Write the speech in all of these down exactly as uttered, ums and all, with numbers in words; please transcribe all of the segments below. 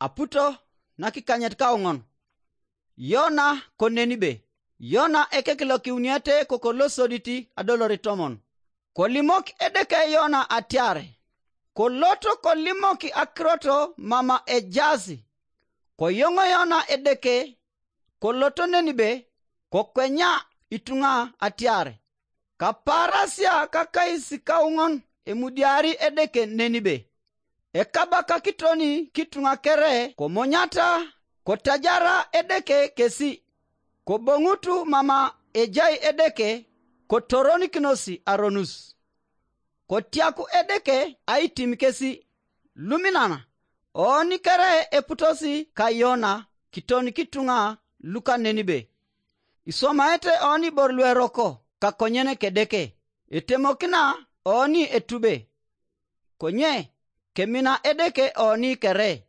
aputo nakikanyet kauŋon. Yona ko Nenibe. Yona ekek lokiuniete kokolosodit adoloritomon. Kolimok Edeke Yona atiar, koloto kolimok akirot mama ejaas. Koyoŋ Yona Edeke, koloto Nenibe, kokwenya ituŋa atiar, kapaarasia kakais kauŋon emudiari Edeke Nenibe. Ekabakakitoni kituŋa kere komonyata, kotajara Edeke kesi, koboŋutu mama ejai Edeke, kotoronikinosi aronus. Kotiaku Edeke aitim kesi. Luminan, oni kere eputosi ka Yona kiton kituŋa luka Nenibe. Isomaete oni ibor lueroko kakonyen Kedeke, etemokina oni etube. Konye kemina Edeke oni kere.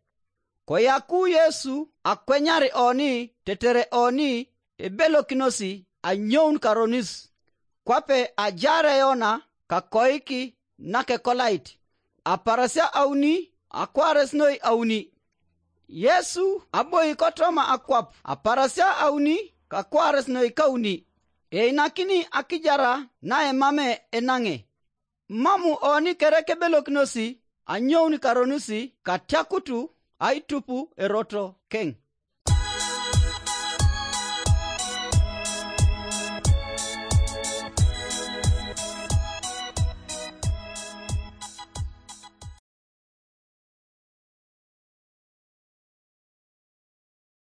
Koyaku Yesu akwenyar oni tetere oni ebelokinosi anyoun karonis. Kwape ajaar Yona kakoik nakekolait, aparasia auni akwaares noi auni. Yesu aboi kotoma akwap, aparasia auni kakwaares noi kauni. Einakini akijara naemame enaŋe. Mamu oni kere kebelokinosi anyoun karonusi katiakutu aitupu eroto keŋ.